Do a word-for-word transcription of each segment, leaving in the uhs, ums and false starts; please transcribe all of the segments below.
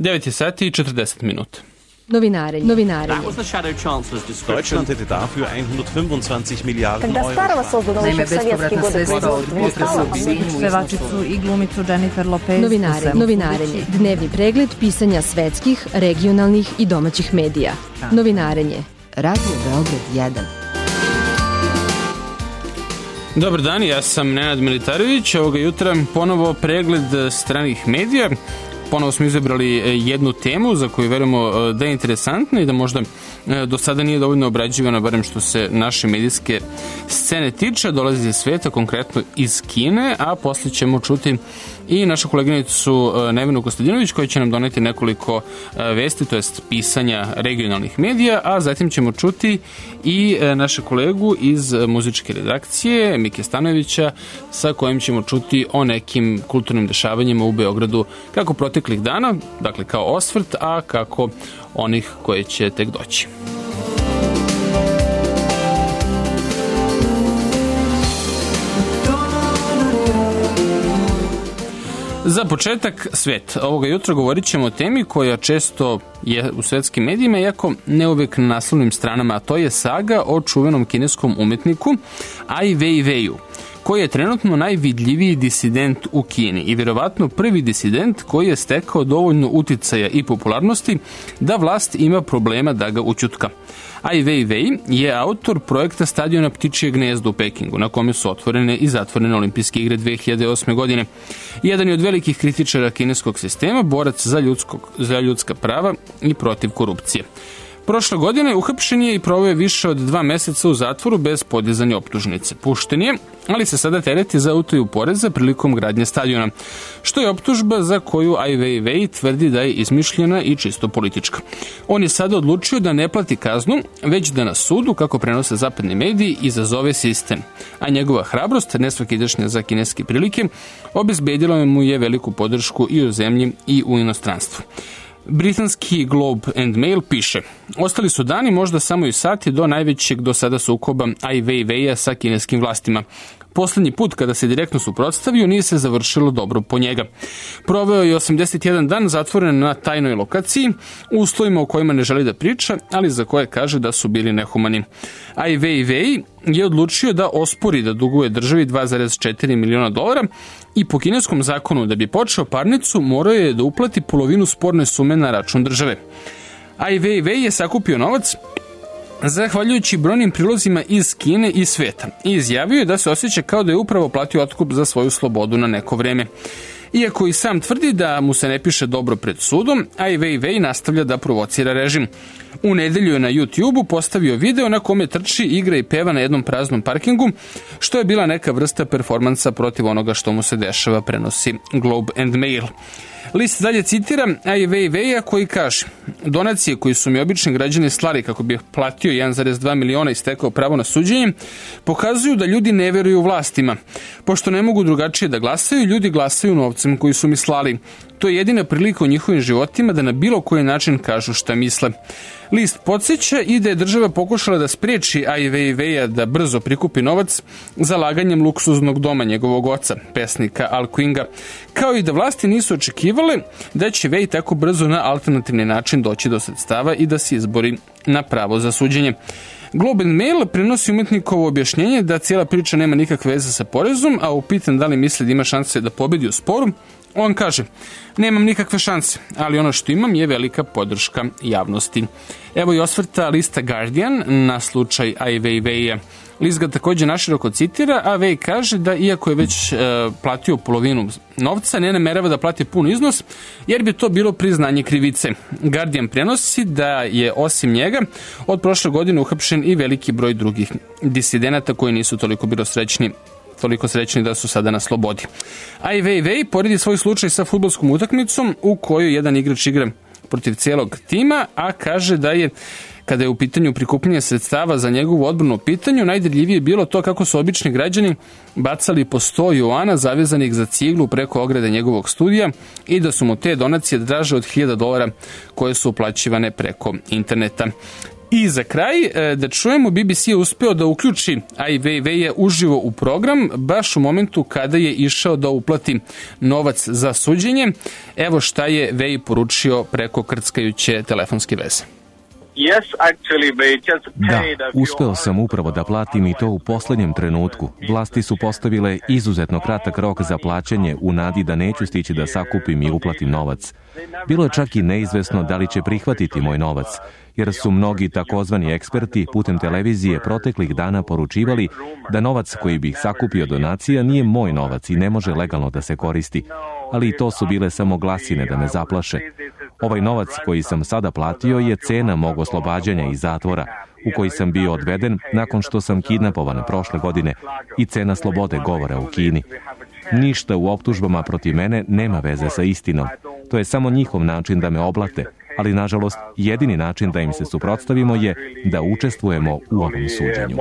devet sati i četrdeset minuta. Novinarenje. Novinarenje. Deutschland hätte dafür hundertfünfundzwanzig Miliarden Когда старого создано еще в советские годы производства. Pevačicu i glumicu Jennifer Lopez. Novinarenje. Novinarenje. Dnevni pregled pisanja svetskih, regionalnih i domaćih medija. Novinarenje. Radio Beograd jedan. Dobar dan, ja sam Nenad Militarević. Ovoga jutra ponovo pregled stranih medija. Ponovo smo izabrali jednu temu za koju verujemo da je interesantna i da možda do sada nije dovoljno obrađivana, barem što se naše medijske scene tiče. Dolazi iz sveta, konkretno iz Kine, a posle ćemo čuti i našu koleginicu Nevenu Kostadinović koja će nam doneti nekoliko vesti, to jest pisanja regionalnih medija, a zatim ćemo čuti i naše kolegu iz muzičke redakcije Mike Stanojevića sa kojim ćemo čuti o nekim kulturnim dešavanjima u Beogradu kako proteklih dana, dakle kao osvrt, a kako onih koje će tek doći. Za početak, svet. Ovoga jutra govorit ćemo o temi koja često je u svetskim medijima, iako ne uvek na naslovnim stranama, a to je saga o čuvenom kineskom umetniku Ai Weiwei, koji je trenutno najvidljiviji disident u Kini i verovatno prvi disident koji je stekao dovoljno uticaja i popularnosti da vlast ima problema da ga ućutka. Ai Weiwei je autor projekta stadiona Ptičije gnezdo u Pekingu, na kome su otvorene i zatvorene olimpijske igre dve hiljade osme. godine. Jedan je od velikih kritičara kineskog sistema, borac za, ljudskog, za ljudska prava i protiv korupcije. Prošle godine uhapšen je i proveo više od dva meseca u zatvoru bez podizanja optužnice. Pušten je, ali se sada tereti za utaju poreza prilikom gradnje stadiona, što je optužba za koju Ai Weiwei tvrdi da je izmišljena i čisto politička. On je sada odlučio da ne plati kaznu, već da na sudu, kako prenose zapadni mediji, izazove sistem. A njegova hrabrost, nesvakidašnja za kineske prilike, obezbedila mu je veliku podršku i u zemlji i u inostranstvu. Britanski Globe and Mail piše: ostali su dani, možda samo i sati, do najvećeg do sada sukoba Ai Weiweia sa kineskim vlastima. Poslednji put kada se direktno suprotstavio nije se završilo dobro po njega. Proveo je osamdeset jedan dan zatvoren na tajnoj lokaciji, u uslovima o kojima ne želi da priča, ali za koje kaže da su bili nehumani. Ai Weiwei je odlučio da ospori da duguje državi dva zarez četiri miliona dolara i po kineskom zakonu da bi počeo parnicu morao je da uplati polovinu sporne sume na račun države. Ai Weiwei je sakupio novac zahvaljujući brojnim prilozima iz Kine i sveta i izjavio je da se osjeća kao da je upravo platio otkup za svoju slobodu na neko vreme. Iako i sam tvrdi da mu se ne piše dobro pred sudom, Ai Weiwei nastavlja da provocira režim. U nedelju je na YouTubeu postavio video na kome trči, igra i peva na jednom praznom parkingu, što je bila neka vrsta performansa protiv onoga što mu se dešava, prenosi Globe and Mail. List dalje citira Ai Weiweia koji kaže: donacije koji su mi obični građani slali kako bi platio jedan zarez dva miliona i stekao pravo na suđenje, pokazuju da ljudi ne veruju vlastima. Pošto ne mogu drugačije da glasaju, ljudi glasaju novcem koji su mi slali. To je jedina prilika u njihovim životima da na bilo koji način kažu šta misle. List podsjeća i da je država pokušala da spreči Ai Weiweia da brzo prikupi novac zalaganjem luksuznog doma njegovog oca, pesnika Al Quinga, kao i da vlasti nisu očekivale da će Wei tako brzo na alternativni način doći do sredstava i da se izbori na pravo za suđenje. Globe and Mail prenosi umetnikovo objašnjenje da cijela priča nema nikakve veze sa porezom, a upitan da li misli da ima šanse da pobedi u sporu, on kaže: nemam nikakve šanse, ali ono što imam je velika podrška javnosti. Evo i osvrta lista Guardian na slučaj Ai Weiweia. List ga također naširoko citira, a Wei kaže da iako je već e, platio polovinu novca, ne namerava da plati pun iznos, jer bi to bilo priznanje krivice. Guardian prenosi da je osim njega od prošle godine uhapšen i veliki broj drugih disidenata koji nisu toliko bilo srećni toliko srećni da su sada na slobodi. Ai Weiwei poredi svoj slučaj sa fudbalskom utakmicom u kojoj jedan igrač igra protiv cijelog tima, a kaže da je, kada je u pitanju prikupljanje sredstava za njegovu odbranu u pitanju, najdirljivije bilo to kako su obični građani bacali po sto juana zavezanih za ciglu preko ograde njegovog studija i da su mu te donacije draže od hiljada dolara koje su uplaćivane preko interneta. I za kraj, da čujemo, B B C je uspeo da uključi Ai Weiwei uživo u program, baš u momentu kada je išao da uplati novac za suđenje. Evo šta je Wei poručio preko krckajuće telefonske veze. Da, uspeo sam upravo da platim i to u poslednjem trenutku. Vlasti su postavile izuzetno kratak rok za plaćanje u nadi da neću stići da sakupim i uplatim novac. Bilo je čak i neizvesno da li će prihvatiti moj novac, jer su mnogi takozvani eksperti putem televizije proteklih dana poručivali da novac koji bih sakupio donacija nije moj novac i ne može legalno da se koristi. Ali i to su bile samo glasine da me zaplaše. Ovaj novac koji sam sada platio je cena mog oslobađanja iz zatvora, u koji sam bio odveden nakon što sam kidnapovan prošle godine, i cena slobode govora u Kini. Ništa u optužbama protiv mene nema veze sa istinom. To je samo njihov način da me oblate, ali nažalost jedini način da im se suprotstavimo je da učestvujemo u ovom suđenju.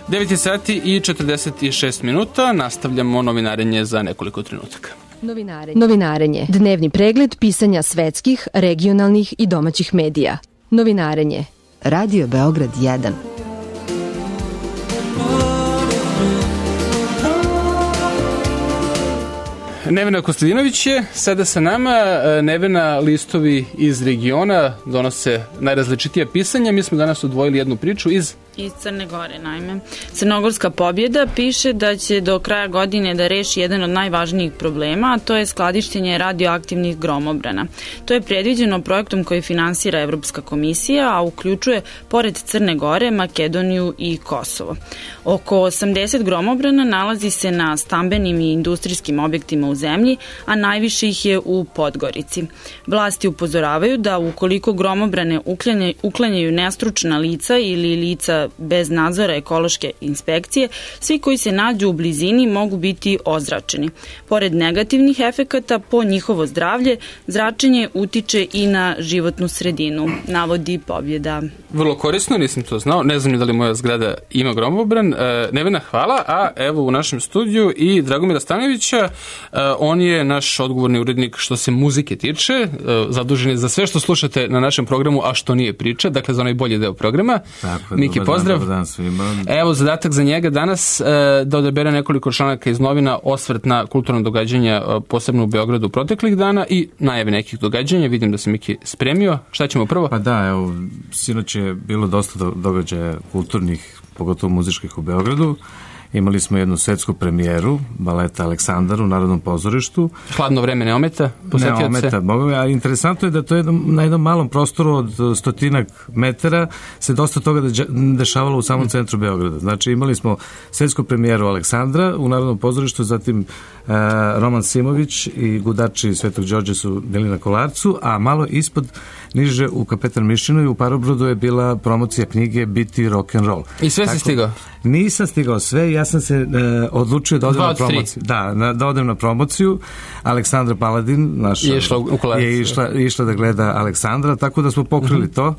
devet sati i četrdeset šest minuta, nastavljamo novinarenje za nekoliko trenutaka. Novinarenje. Novinarenje. Dnevni pregled pisanja svetskih, regionalnih i domaćih medija. Novinarenje. Radio Beograd jedan. Nevena Kostadinović je sada sa nama. Nevena, listovi iz regiona donose najrazličitija pisanja. Mi smo danas odvojili jednu priču iz... Iz Crne Gore, naime. Crnogorska pobjeda piše da će do kraja godine da reši jedan od najvažnijih problema, a to je skladištenje radioaktivnih gromobrana. To je predviđeno projektom koji finansira Evropska komisija, a uključuje, pored Crne Gore, Makedoniju i Kosovo. Oko osamdeset gromobrana nalazi se na stambenim i industrijskim objektima u zemlji, a najviše ih je u Podgorici. Vlasti upozoravaju da ukoliko gromobrane uklanjaju nestručna lica ili lica bez nadzora ekološke inspekcije, svi koji se nađu u blizini mogu biti ozračeni. Pored negativnih efekata po njihovo zdravlje, zračenje utiče i na životnu sredinu, navodi Pobjeda. Vrlo korisno, nisam to znao. Ne znam da li moja zgrada ima gromobran. E, Nevena, hvala. A evo u našem studiju i Dragomira Stanojevića. E, on je naš odgovorni urednik što se muzike tiče. E, zadužen je za sve što slušate na našem programu, a što nije priča. Dakle, za onaj bolji deo programa. Tako, Miki, pozdrav. Dobar dan svima. Evo, zadatak za njega danas e, da odabere nekoliko članaka iz novina, osvrt na kulturno događanja, e, posebno u Beogradu proteklih dana i najave nekih događanja. Vidim da se Miki spremio. Šta ćemo prvo? Pa da, evo, sinoć je bilo dosta događaja kulturnih, pogotovo muzičkih u Beogradu. Imali smo jednu svetsku premijeru baleta Aleksandar u Narodnom pozorištu. Hladno vreme ne ometa? Ne ometa, a interesantno je da to je na jednom malom prostoru od stotinak metara se dosta toga dešavalo u samom centru Beograda. Znači imali smo svetsku premijeru Aleksandra u Narodnom pozorištu, zatim uh, Roman Simović i gudači Svetog Đorđe su bili na Kolarcu, a malo ispod niže u Kapetan Mišinu i u Parobrodu je bila promocija knjige Biti rock'n'roll. I sve si stigao? Nisam stigao sve, ja sam se e, odlučio da odem na promociju. Da, na, da odem na promociju. Aleksandra Paladin, naša, je išla, je išla, išla da gleda Aleksandra, tako da smo pokrili uh-huh. to.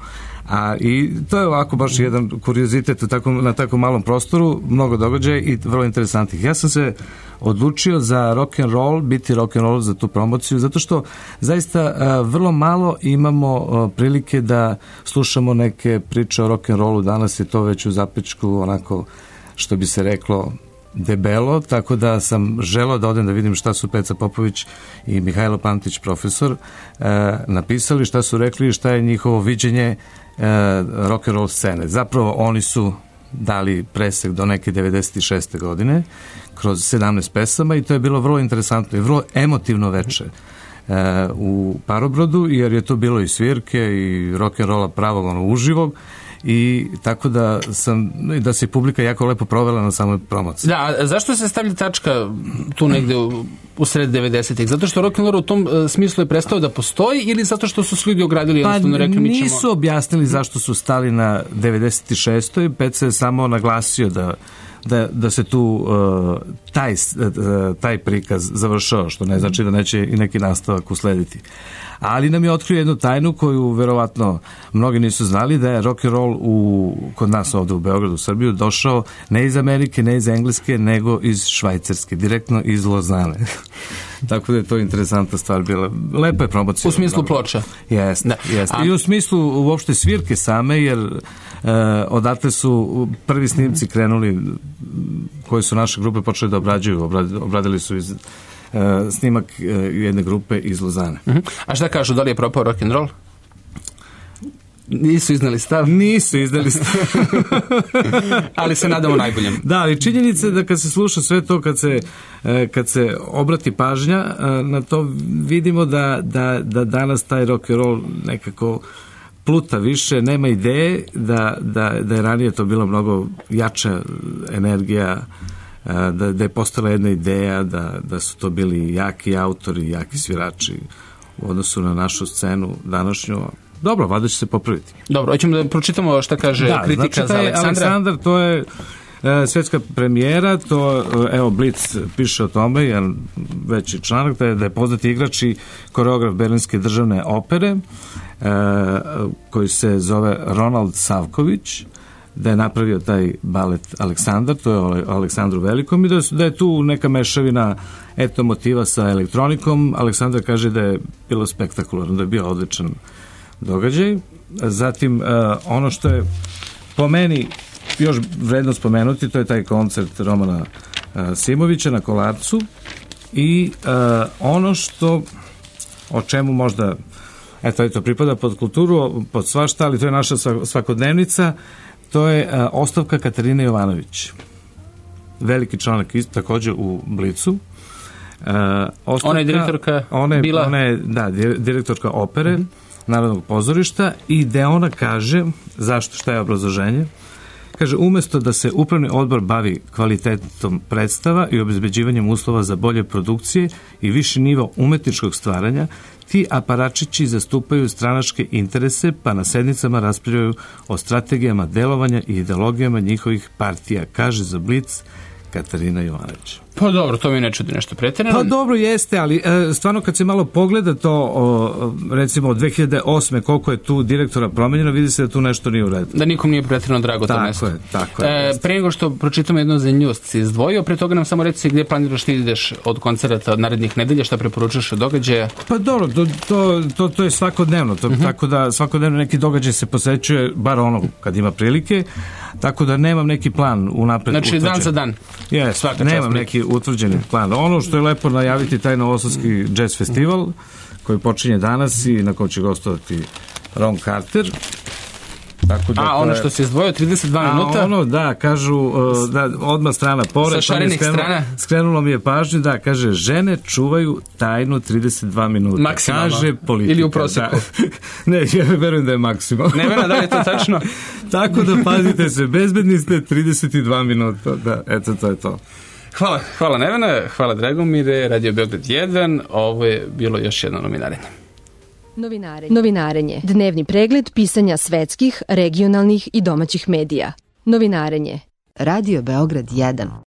A, i to je ovako baš jedan kuriozitet tako, na tako malom prostoru, mnogo događaja i vrlo interesantnih. Ja sam se odlučio za rock and roll, biti rock and roll za tu promociju, zato što zaista a, vrlo malo imamo a, prilike da slušamo neke priče o rock and rollu. Danas je to već u zapečku onako, što bi se reklo, debelo, tako da sam želeo da odem da vidim šta su Peca Popović i Mihajlo Pantić, profesor, e, napisali, šta su rekli i šta je njihovo viđenje e, rock and roll scene. Zapravo oni su dali presek do neke devedeset šeste godine kroz sedamnaest pesama i to je bilo vrlo interesantno i vrlo emotivno veče e, u Parobrodu, jer je to bilo i svirke i rock and rolla pravog ono uživog. I tako da sam da se publika jako lepo provela na samoj promociji. Da, a zašto se stavlja tačka tu negde u, u sred devedesetih? Zato što rock'n'roll u tom uh, smislu je prestao da postoji ili zato što su se ljudi ogradili? Pa rekli, mi ćemo... nisu objasnili zašto su stali na devedeset šestoj. Peca je samo naglasio da da, da se tu uh, taj, uh, taj prikaz završao, što ne znači da neće i neki nastavak uslediti. Ali nam je otkrio jednu tajnu koju verovatno mnogi nisu znali, da je rock and roll u, kod nas ovde u Beogradu, u Srbiju, došao ne iz Amerike, ne iz Engleske, nego iz Švajcarske, direktno iz Lozane. Tako da je to interesantna stvar bila. Lepa je promocija. U smislu ploča. Jeste, jeste. I u smislu uopšte svirke same, jer e, odatle su prvi snimci krenuli, koji su naše grupe počeli da obrađuju. Obradili su iz Uh, snimak uh, jedne grupe iz Lozane. Uh-huh. A šta kažu, da li je propao rock and roll? Nisu iznali stav? Nisu iznali stav. Ali se nadamo najboljem. Da, ali činjenica je da kad se sluša sve to, kad se, kad se obrati pažnja na to, vidimo da, da, da danas taj rock and roll nekako pluta više, nema ideje, da, da, da je ranije to bila mnogo jača energija, da, da je postala jedna ideja, da, da su to bili jaki autori, jaki svirači u odnosu na našu scenu današnju. Dobro, valjda će se popraviti. Dobro, hoćemo da pročitamo šta kaže da, kritika znači, za Aleksandra. Aleksandar, to je e, svetska premijera, to, evo, Blic piše o tome, jedan veći članak, da je, da je poznati igrač i koreograf Berlinske državne opere, e, koji se zove Ronald Savković, da je napravio taj balet Aleksandar, to je o Aleksandru Velikom, i da, da je tu neka mešavina eto motiva sa elektronikom. Aleksandar kaže da je bilo spektakularno, da je bio odličan događaj. Zatim, uh, ono što je po meni još vredno spomenuti, to je taj koncert Romana uh, Simovića na Kolarcu, i uh, ono što, o čemu možda, eto, to pripada pod kulturu, pod svašta, ali to je naša svakodnevnica, to je uh, ostavka Katarine Jovanović. Veliki članak također u Blicu. Uh, ostavka, ona je direktorka ona je, bila... Ona je, da, direktorka opere, mm-hmm. Narodnog pozorišta, i gde ona kaže, zašto, šta je obrazloženje? Kaže, umesto da se upravni odbor bavi kvalitetom predstava i obezbeđivanjem uslova za bolje produkcije i viši nivo umetničkog stvaranja, ti aparačići zastupaju stranačke interese, pa na sednicama raspravljaju o strategijama delovanja i ideologijama njihovih partija, kaže za Blic Katarina Jovanović. Pa dobro, to mi ne čudi nešto pretjerano. Pa dobro jeste, ali e, stvarno kad se malo pogleda to, o, recimo od dve hiljade osme koliko je tu direktora promenjeno, vidi se da tu nešto nije u redu. Da nikom nije pretjerano drago to mesto. Tako je, tako je. E, pre nego što pročitamo jednu zanimljivost si izdvojio, pre toga nam samo reci gdje planiraš ti ideš od koncerata od narednih nedelja, šta preporučaš od događaja? Pa dobro, to, to, to, to je svakodnevno, to, uh-huh. tako da svakodnevno neki događaj se posećuje, bar ono kad ima prilike, tako da nemam neki plan unapred znači, utvrđen. Dan za dan? Yes, nemam neki utvrđeni plan. Ono što je lepo najaviti taj novosadski jazz festival koji počinje danas i na kojem će gostovati Ron Carter. Tako da, a ono što se izdvojio trideset dva minuta? A ono, da, kažu, da, odmah strana pored. Sa šarenih skrenulo, strana? Skrenulo mi je pažnju, da, kaže, žene čuvaju tajnu trideset dva minuta. Maksimalno? Kaže politika. Ili u prosjeku? Da. Ne, ja verujem da je maksimalno. Ne verujem da li je to tačno? Tako da pazite se, bezbedni ste trideset dva minuta. Da, eto, to je to. Hvala, hvala Nevena, hvala Dragomire, Radio Beograd jedan, ovo je bilo još jedno novinarenje. Novinarenje. Novinarenje. Dnevni pregled pisanja svetskih, regionalnih i domaćih medija. Novinarenje. Radio Beograd jedan.